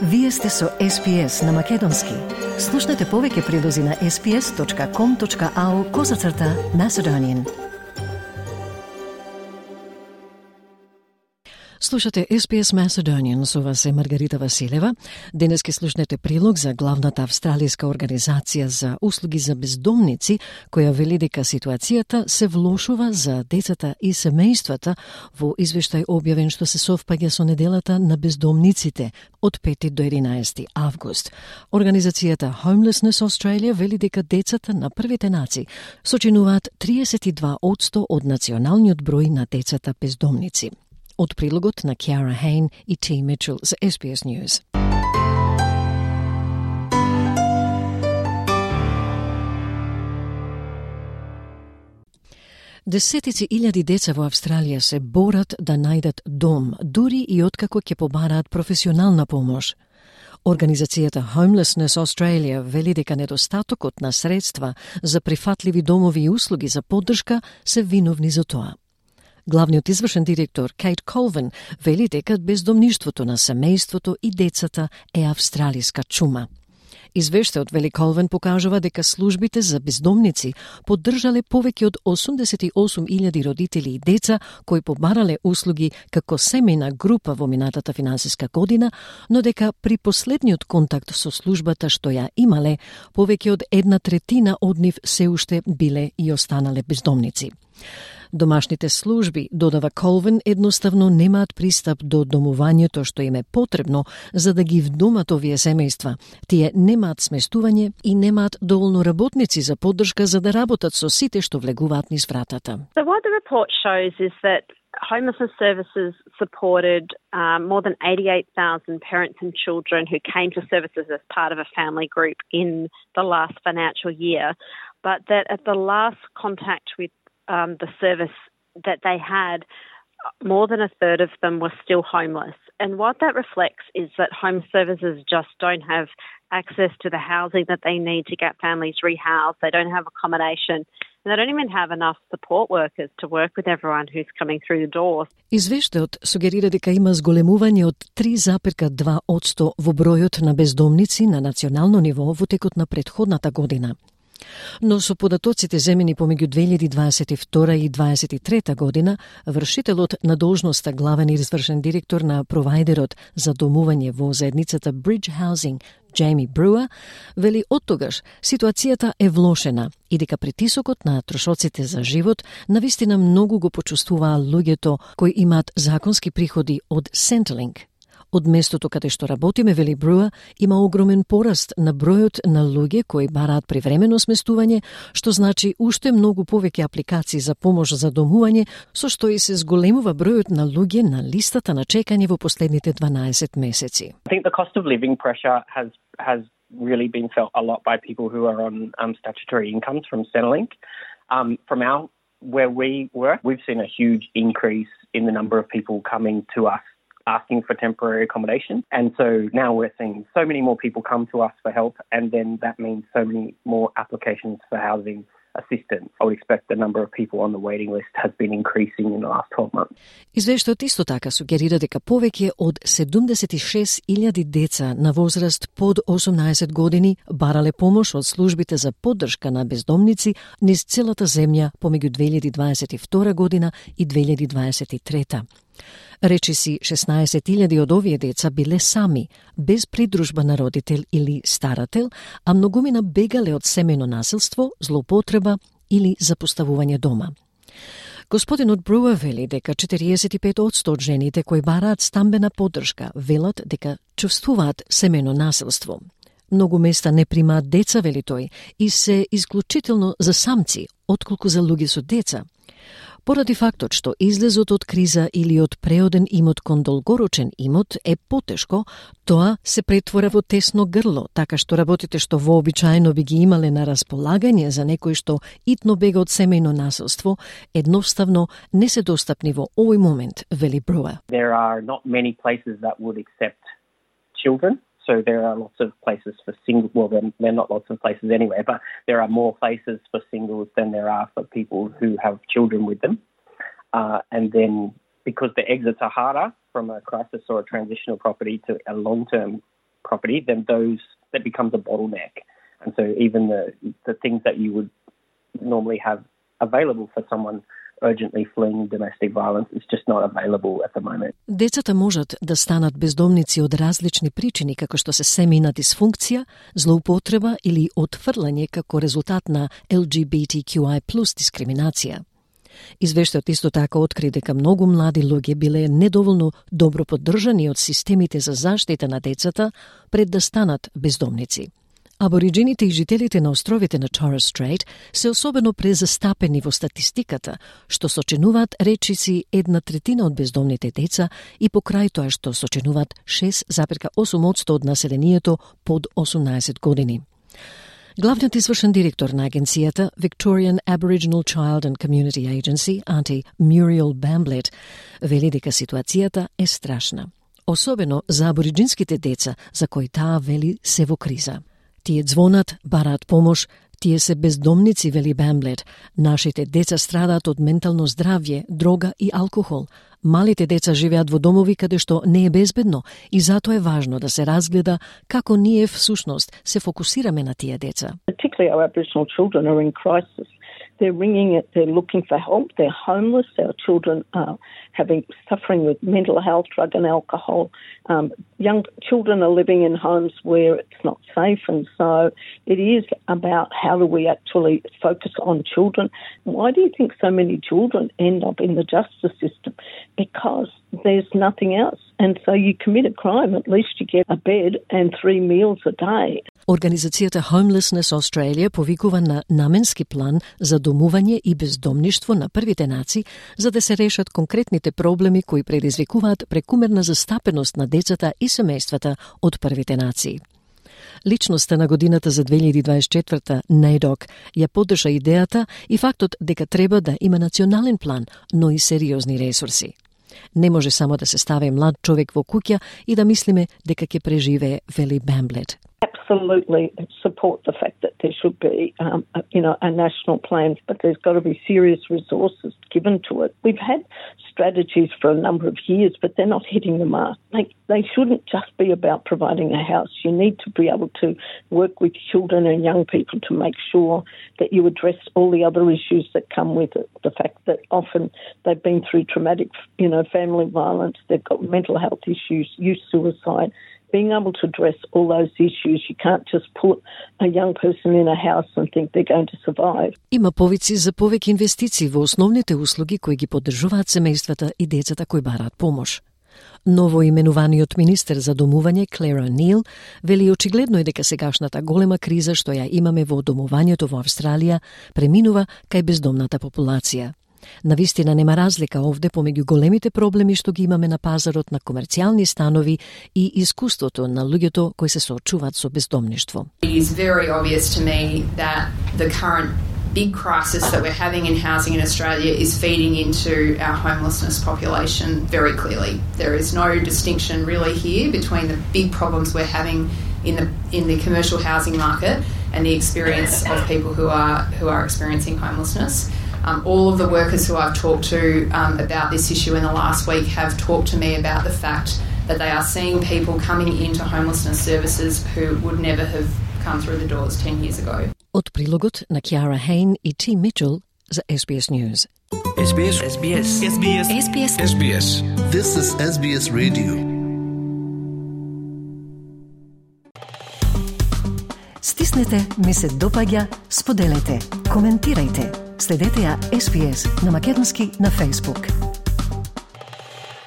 Вие сте со SPS на Македонски. Слушнете повеќе прилози на sps.com.au/Macedonian. Слушате SPS Macedonian, со вас е Маргарита Василева. Денес ке слушнете прилог за главната австралијска организација за услуги за бездомници, која вели дека ситуацијата се влошува за децата и семејствата во извештај објавен што се совпаѓа со неделата на бездомниците од 5 до 11 август. Организацијата Homelessness Australia вели дека децата на првите нации сочинуваат 32% од националниот број на децата бездомници. Од прилогот на Кјара Хейн и T. Mitchell за SBS News. Десетици илјади деца во Австралија се борат да најдат дом, дури и откако ќе побараат професионална помош. Организацијата Homelessness Australia вели дека недостатокот на средства за прифатливи домови и услуги за поддршка се виновни за тоа. Главниот извршен директор Кейт Колвин вели дека бездомништвото на семејството и децата е австралиска чума. Извештајот, вели Колвин, покажува дека службите за бездомници поддржале повеќе од 88.000 родители и деца кои побарале услуги како семејна група во минатата финансиска година, но дека при последниот контакт со службата што ја имале, повеќе од 1/3 од нив се уште биле и останале бездомници. Домашните служби, додава Колвин, едноставно немаат пристап до домувањето што им е потребно за да ги вдомат овие семејства. Тие немаат сместување и немаат доволно работници за поддршка за да работат со сите што влегуваат низ вратата. So what the report shows is that homelessness services supported more than 88,000 parents and children who came to services as part of a family group in the last financial year, but that at the last contact with the service that they had, more than a third of them were still homeless. And what that reflects is that home services just don't have access to the housing that they need to get families rehoused. They don't have accommodation. And they don't even have enough support workers to work with everyone who's coming through the doors. Извештајот сугерира дека има зголемување од 3,2% во бројот на бездомници на национално ниво во текот на претходната година. Но со податоците земени помеѓу 2022 и 2023 година, вршителот на должноста главен извршен директор на провајдерот за домување во заедницата Bridge Housing, Jamie Brewer, вели оттогаш ситуацијата е влошена и дека притисокот на трошоците за живот навистина многу го почувствуваа луѓето кои имаат законски приходи од Centrelink. Од местото каде што работиме, вели Бруа, има огромен пораст на бројот на луѓе кои бараат привремено сместување, што значи уште многу повеќе апликации за помош за домување, со што и се зголемува бројот на луѓе на листата на чекање во последните 12 месеци. I think the cost of living pressure has really been felt a lot by people who are on statutory incomes from Centrelink. From where we work, we've seen a huge increase in the number of people coming to us asking for temporary accommodation. And so now we're seeing so many more people come to us for help, and then that means so many more applications for housing assistance. I would expect the number of people on the waiting list has been increasing in the last 12 months. Извештајот исто така сугерира дека повеќе од 76.000 деца на возраст под 18 години барале помош од службите за поддршка на бездомници низ целата земја помеѓу 2022 година и 2023. Речиси 16.000 од овие деца биле сами, без придружба на родител или старател, а многумина бегале од семејно насилство, злоупотреба или запоставување дома. Господинот Бруа вели дека 45% од жените кои бараат стамбена поддршка велат дека чувствуваат семејно насилство. Многу места не примаат деца, вели тој, и се исклучително за самци, отколку за луѓе со деца. Поради фактот што излезот од криза или од преоден имот кон долгорочен имот е потешко, тоа се претвора во тесно грло, така што работите што вообичаено би ги имале на располагање за некој што итно бега од семејно насилство, едноставно не се достапни во овој момент, вели Бруа. There are not many places that would accept children. So there are lots of places for singles. Well, there are not lots of places anyway, but there are more places for singles than there are for people who have children with them. And then because the exits are harder from a crisis or a transitional property to a long-term property, then that becomes a bottleneck. And so even the things that you would normally have available for someone urgently fleeing domestic violence is just not available at the moment. Децата можат да станат бездомници од различни причини, како што се семејна дисфункција, злоупотреба или отфрлање како резултат на LGBTQI+ дискриминација. Извештајот исто така откри дека многу млади луѓе биле недоволно добро поддржани од системите за заштита на децата пред да станат бездомници. Абориджините и жителите на островите на Torres Strait се особено презастапени во статистиката, што сочинуваат речиси 1/3 од бездомните деца и покрај тоа што сочинуваат 6,8% од населението под 18 години. Главниот извршен директор на агенцијата Victorian Aboriginal Child and Community Agency, Auntie Muriel Bamblett, вели дека ситуацијата е страшна, особено за абориджинските деца, за кои таа вели се во криза. Тие звонат, бараат помош, тие се бездомници, вели Бамблет. Нашите деца страдаат од ментално здравје, дрога и алкохол. Малите деца живеат во домови каде што не е безбедно и затоа е важно да се разгледа како ние всушност се фокусираме на тие деца. Particularly our Aboriginal children are in crisis. They're ringing it, they're looking for help, they're homeless, our children are suffering with mental health, drug and alcohol. Young children are living in homes where it's not safe, and so it is about how do we actually focus on children. Why do you think so many children end up in the justice system? Because there's nothing else. And so you commit a crime, at least you get a bed and 3 meals a day. Организацијата Homelessness Australia повикува на наменски план за домување и бездомништво на првите нации за да се решат конкретните проблеми кои предизвикуваат прекумерна застапеност на децата и семејствата од првите нации. Личноста на годината за 2024, NAIDOC, ја поддржа идејата и фактот дека треба да има национален план, но и сериозни ресурси. Не може само да се стави млад човек во куќа и да мислиме дека ќе преживее, вели Бамблет. Absolutely support the fact that there should be, a national plan, but there's got to be serious resources given to it. We've had strategies for a number of years, but they're not hitting the mark. They shouldn't just be about providing a house. You need to be able to work with children and young people to make sure that you address all the other issues that come with it. The fact that often they've been through traumatic, family violence, they've got mental health issues, youth suicide. Being able to address all those issues, you can't just put a young person in a house and think they're going to survive. Има повици за повеќе инвестиции во основните услуги кои ги поддржуваат семејствата и децата кои бараат помош. Ново именуваниот министер за домување Клера Нил вели очигледно е дека сегашната голема криза што ја имаме во домувањето во Австралија преминува кај бездомната популација. Навистина нема разлика овде помеѓу големите проблеми што ги имаме на пазарот на комерцијални станови и искуството на луѓето кои се соочуваат со бездомништво. It is very obvious to me that the current big crisis that we're having in housing in Australia is feeding into our homelessness population very clearly. There is no distinction really here between the big problems we're having in the commercial housing market and the experience of people who are experiencing homelessness. All of the workers who I've talked to about this issue in the last week have talked to me about the fact that they are seeing people coming into homelessness services who would never have come through the doors 10 years ago. Од прилогот на Киара Хейн и Ти Мичел за SBS News. SBS. SBS. SBS. SBS. SBS. This is SBS Radio. Стиснете, ми се допаѓа, споделете, коментирајте. Следете ја SBS на македонски на Facebook.